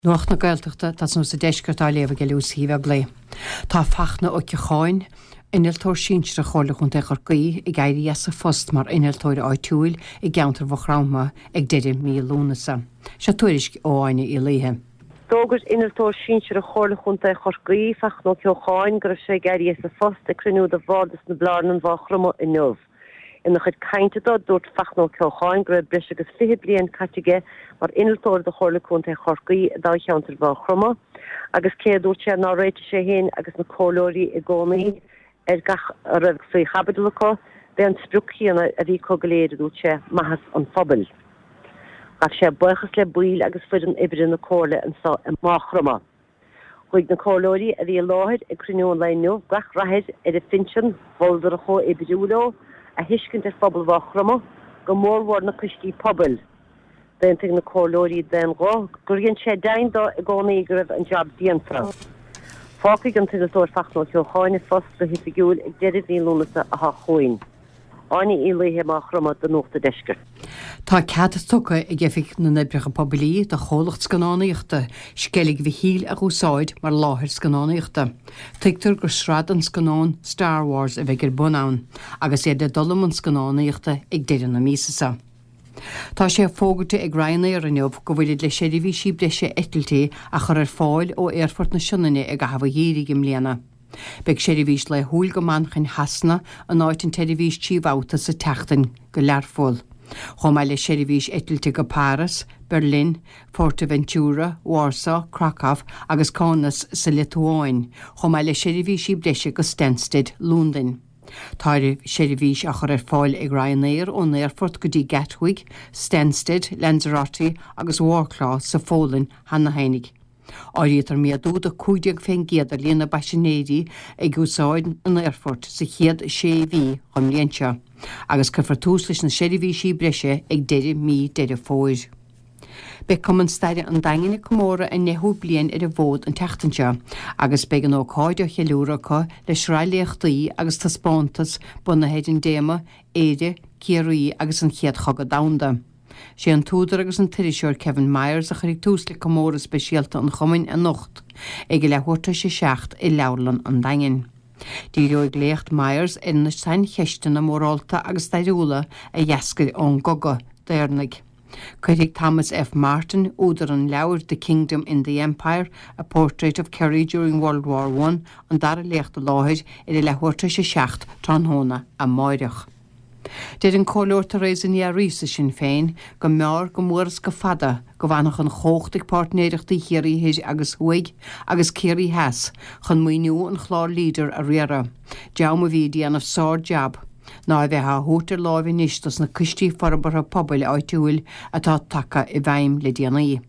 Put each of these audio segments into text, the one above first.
Nuacht na Gaeltachta, ag tosnú sa deisceart á léamh ag Lucy Uí Bheaglaoich. Tá Fachtna Ó Ceocháin, Innealtóir Sinsearach Chomhairle Chontae Chorcaí, ag éirí as a phost mar innealtóir áitiúil i gceantar Mhaigh Chromtha ag deireadh mí Lúnasa. Seo tuairisc ó Áine Uí Laoithe. D'fhógair Innealtóir Sinsearach Chomhairle Chontae Chorcaí, Fachtna Ó Ceocháin, go raibh sé ag éirí as a phost ag cruinniú de Bhardas na Blarnan, Mhaigh Chromtha inniu. Ina chuid cainte dó, dúirt Fachtna Ó Ceocháin go raibh breis agus 20 bliain caite aige mar innealtóir do Chomhairle Contae Chorcaí i dtoghcheantar Mhaigh Chromtha agus cé a dúirt sé nár réitigh sé féin agus na comhairleoirí i gcónaí ar gach a raibh faoi chaibidil acu, b'é an sprioc chéanna a bhí acu go léir, a dúirt sé, maitheas an phobail. Ghabh sé buíochas le baill agus foireann oibre na Comhairle anseo i Maigh Chromtha. Ghuigh na comhairleoirí a bhí i láthair ag cruinniú an lae inniu gach rath air ar a phinsean, mholadar a chomhoibriú leo, a thuiscint ar phobal Mhaigh Chromtha, go mórmhór na coistí pobail. D'aontaigh na comhairleoirí d'aon ghuth gur dhein sé deimhin dó i gcónaí go raibh an jab déanta. Fágfaidh an t-innealtóir Fachtna Ó Ceocháin a phost go hoifigiúil ag deireadh mhí Lúnasa athá chugainn. Áine Uí Laoithe, Maigh Chromtha do Nuacht an Deiscirt. Tá cead tugtha ag Oifig na nOibreacha Poiblí do chomhlacht scannánaíochta Sceilg Mhichíl a dh'úsáid mar láthair scannánaíochta. Tuigtear gur sraith den scannán Star Wars a bheidh ar bun ann, agus iad le dul i mbun scannánaíochta ag deireadh na míosa seo. Tá sé fógartha ag Ryanair inniu go bhfuilid le seirbhísí breise eitiltí a chur ar fáil ó Aerfort na Sionainne i gcaitheamh an gheimhridh i mbliana. Beidh seirbhís laethúil go Manchain Shasana in áit an tseirbhís 3 bhabhta sa tseachtain go Learpholl, chomh maith le seirbhís eitilte go Páras, Berlin, Fuerteventura, Warsaw, Krakow agus Kaunas sa Liotuáin, chomh maith le seirbhísí breise go Stansted, Londain. Tá seirbhís á chur ar fáil ag Ryanair ón aerfort go dtí Gatwick, Stansted, Lanzarote agus Wroclaw sa Pholainn cheana fhéinig. Áirítear méadú de 15% ar líon na bpaisinéirí ag úsáid an aerfoirt sa chéad sé mhí den mbliain seo, agus cuirfear tús leis na seirbhísí breise ag deireadh mí Deireadh Fómhair. Beidh Cumann Staire an Daingin ag comóradh a ndeichiú bliain ar an bhfód an tseachtain seo agus beidh an ócáid á cheiliúradh acu le sraith léachtaí agus taispeántas bunaithe ar an dtéama 'Éire, Ciarraí agus an Chéad Chogadh Domhanda'. Sé an t-údar agus an t-iriseoir Kevin Myers a chuirfidh tús le comóradh speisialta an chumainn anocht ag a leathuair tar éis a 7 i Leabharlann an Daingin. Díreoidh léacht Myers ar na saincheisteanna mórálta agus stairiúla a d'eascair ón gcogadh d'Éireannaigh. Cuirfidh Thomas F. Martin, údar an leabhair The Kingdom in the Empire, A Portrait of Kerry During World War One, an dara léacht i láthair ar a leathuair tar éis a 7 tráthnóna amáireach. Deir an Comhairleoir Theresa Ní Fhearraigh as Sinn Féin go mb'fhearr go mór is go fada go bhfanfadh an chumhacht ag páirtnéireachtaí Chiarraí Thoir agus Thuaidh agus Ciarraí Theas chun maoiniú an chláir Leader a riaradh, dream a bhí ag déanamh sár-jab, ná a bheith á thabhairt ar láimh anois dos na coistí forbartha pobail áitiúil atá tagtha i bhfeidhm le déanaí.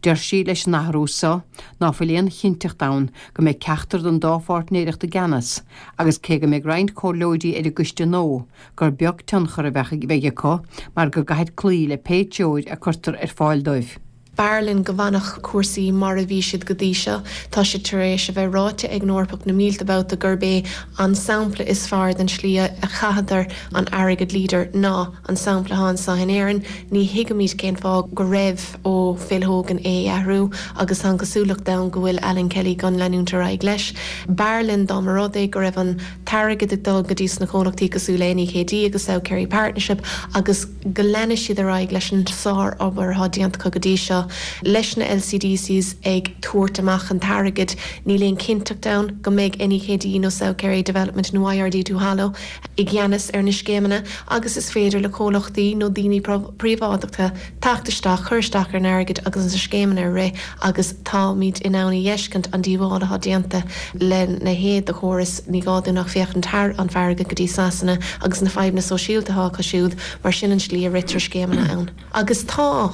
Deir sí leis an athrú so ná fuil aon chinnteacht ann go mbeidh ceachtar den dá pháirtnéireacht i gceannas agus cé go mbeidh roinnt comhairleoirí ar an gcoiste nua gur beag tionchar a bheidh acu mar go gcaithfid cloí le pé treoir a cuirtear ar fáil dóibh. B'fhearr linn go bhfanfadh cúrsaí mar a bhí siad go dtí seo. Tá sé tar éis a bheith ráite ag an Eorpach na mílte babhta gurb é an sampla is fearr den slí a chaitheadar an airgead Leader ná an sampla atá anseo in Éirinn. Ní thuigimid cén fáth go raibh ó Phil Hogan é a athrú agus tá an chosúlacht ann go bhfuil Alan Kelly chun leanúint ar aghaidh leis. B'fhearr linn dá mba rud é go raibh an t-airgead ag dul go dtí sna comhlachtaí cosúil le NEKD agus South Kerry Partnership agus go leanfaidh siad ar aghaidh leis an sár-obair atá déanta acu go dtí seo. Leis na LCDCs ag tabhairt amach an t-airgead, níl aon chinnteacht ann go mbeidh NEKD nó South Kerry Development nó IRD Duhallow i gceannas ar na scéimeanna agus is féidir le comhlachtaí nó daoine príobháideacha teacht isteach, cur isteach ar an airgead agus na scéimeanna a rith agus táimid in ann a fheiscint an díobháil atá déanta lena leithéid de chóras. Ní gá dúinn ach féachaint thar an farraige go dtí Sasana agus na fadhbanna sóisialta atá acu siúd mar sin an slí a ritear scéimeanna ann. Agus tá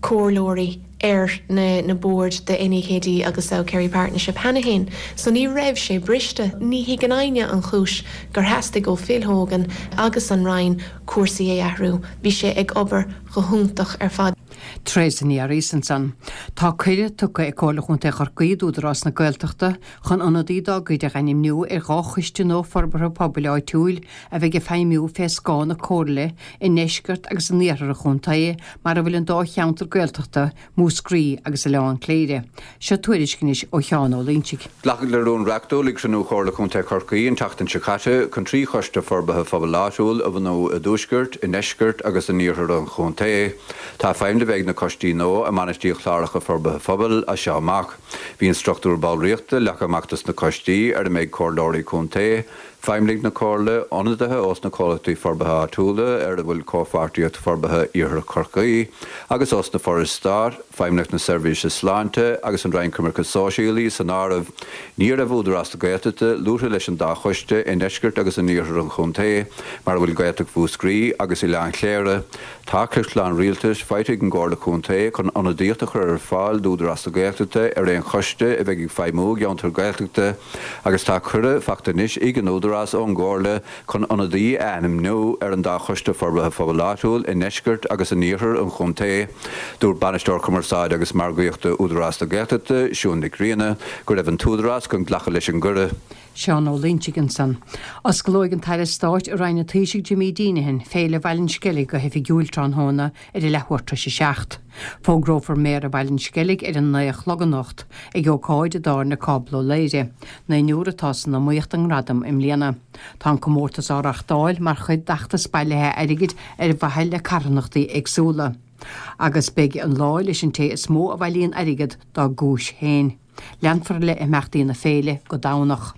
comhairleoirí ar na na boird de NEKD agus South Kerry Partnership cheana féin so ní raibh sé briste. Ní thuigeann éinne an chúis gur theastaigh ó Phil Hogan agus an Roinn cúrsaí a athrú. Bhí sé ag obair go hiontach ar fad. Teresa Ní Fhearraois ansan. Tá cuireadh tugtha ag Comhairle Chontae Chorcaí d'Údarás na Gaeltachta chun ionadaí dá gcuid a dh'ainmniú ar dhá choiste nua forbartha pobail áitiúil a bheidh ag feidhmiú fé scáth na Comhairle i ndeisceart agus in iarthar an chontae mar a bhfuil an dá cheantar Gaeltachta, Múscraí agus Oileán Cléire. Seo tuairisc anois ó Sheán Ó Loinsigh. Glacadh le rún reachtúil ag cruinniú Chomhairle Contae Chorcaí an tseachtain seo caite chun 3 choiste forbartha phobail áitiúil a bhunú i dtuaisceart, i ndeisceart agus in iarthar an chontae. Tá feidhm le bheith ag na coistí nua i mbainistíocht chláracha forbartha phobail as seo amach. Bhí an struchtúr ballraíochta leagtha amach dos na coistí ar a mbeidh comhairleoirí contae, Feidhmeannaigh na Comhairle, ionadaithe ós na comhlachtaí forbartha áitiúla ar a bhfuil Comhpháirtíocht Forbartha Iarthar Chorcaí, agus ós na forais stáit, Feidhmeannacht na Seirbhíse Sláinte agus an Roinn Coimirce Sóisialaí san áireamh. Ní raibh Údarás na Gaeltachta luaite leis an dá choiste i ndeisceart agus in iarthar an chontae, mar a bhfuil Gaeltacht Mhúscraí agus Oileán Chléire. Tá ciorclán rialtais faighte ag an gComhairle Contae chun ionadaíocht a chur ar fáil d'Údarás na Gaeltachta ar aon choiste a bheidh ag feidhmiú i gceantar Gaeltachta agus tá cuireadh faighte anois ag an Údarás ón gComhairle chun ionadaí a ainmniú ar an dá Choiste Forbartha Phobail Áitiúil i ndeisceart agus in iarthar an chontae. Dúirt Bainisteoir Cumarsáide agus Margaíochta Údarás na Gaeltachta, Siún Nic Grianna, go raibh an tÚdarás chun glacadh leis an gcuireadh. Seán Ó Loinsigh ansan. Osclóidh an tAire Stáit i Roinn an Taoisigh Jimmy Deenihan, Féile Bhaile an Sceilg go hoifigiúil tráthnóna ar a leathuair tar éis a 7. Fógrófar Méara Bhaile an Sceilg ar a 9 a chlog anocht ag ócáid i dTábhairne Cábla Ó Laoghaire. Naonúr atá san iomaíocht don ngradam i mbliana. Tá an comórtas á reachtáil mar chuid d'fheachtas bailithe airgid ar mhaithe le carthanachtaí éagsúla. Agus beidh an lá leis an té is mó a bhailíonn airgead dá gcúis féin. Leanfar le imeachtaí na féile go Domhnach.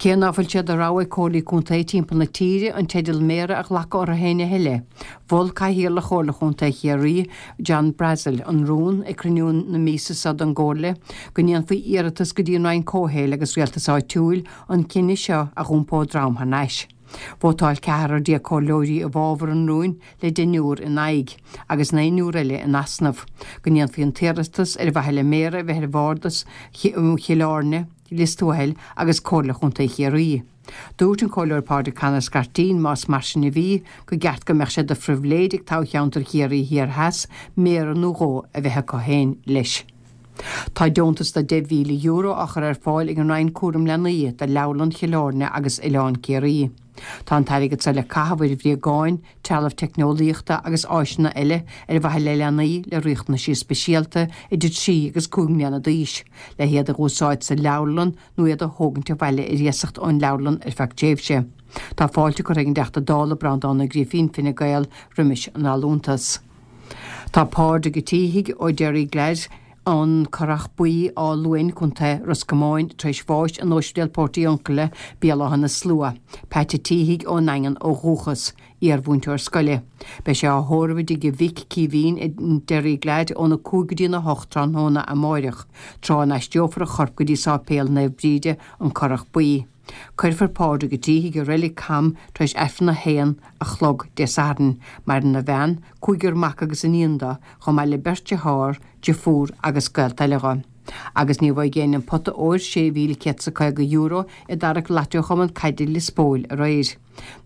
Cé ná fuil sé de rogha ag Comhairlí Contae timpeall na tíre an teideal Méara a ghlacadh orthu féin a thuilleadh, mhol Cathaoirleach Chomhairle Chontae Chiarraí, John Brassil, an rún ag cruinniú na míosa seo den gComhairle go ndéanfaí iarratas go dtí an Roinn Comhshaoil agus Rialtais Áitiúil an cinneadh seo a dh'iompó droim thar n-ais. Vótáil ceathrar déag comhairleoirí i bhfabhar an rúin le deichniúr in aghaidh, agus naonúr eile in easnamh, go ndéanfaí an t-iarratas ar mhaithe le Méara a bheith ar Bhardas Chill Airne, Lios Tuathail agus Comhairle Chontae Chiarraí. Dúirt an Comhairleoir Pádraig Conor Scarteen más mar sin a bhí, go gceart go mbeadh sé de phribhléid ag toghcheantar Chiarraí Thiar Theas Méara nó dhó a bheith acu féin leis. Tá deontas de €10,000 á chur ar fáil ag an Roinn Cúram Leanaí do Leabharlann Chill Airne agus Oileán Ciarraí. Tá an t-airgead seo le caitheamh ar bhréagáin, trealamh teicneolaíochta agus áiseanna eile ar mhaithe le leanaí le riachtanaisí speisialta idir 3 agus 5 mbliana d'aois, le hiad a dh'úsáid sa leabharlann nó iad a thógaint abhaile ar iasacht ón leabharlann ar feadh tréimhse. Tá fáilte curtha ag an dTeachta Dála Breandán Ó Grífín, Fine Gael, roimis an allúntas. Tá Pádraig Ó Títhigh ó Derryglad, An Currach Buí, Áth Luain, Co. Ros Comáin, tar éis bháis in Ospidéal Portiuncula, Béal Átha na Slua. Pat a' Títhigh ón nDaingean ó dhúchas. Iar-mhúinteoir scoile. Beidh sé á thórramh i dtigh a mhic, Caoimhín, i nDerryglad óna 5 go dtína 8 tráthnóna amáireach, tráth a n-aistreofar a chorp go dtí Sáipéal Naomh Bríde, An Currach Buí. Cuirfear Pádraig Ó Títhigh i Reilig Cam tar éis Aifreann a haon a chlog Dé Sathairn. Maireann a bhean, cúigear mac agus iníon do, chomh maith le beirt dearthár, deirfiúr agus gaolta eile dho. Agus ní bhfaighidh éinne an pota óir, €6,150, i dtarrac Lotto Chumann Caide Lios Póil aréir.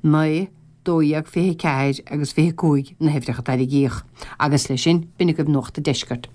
9, 12, 24 agus 25 na huimhreacha a tarraingíodh. Agus leis sin, b'in agaibh Nuacht an Deiscirt.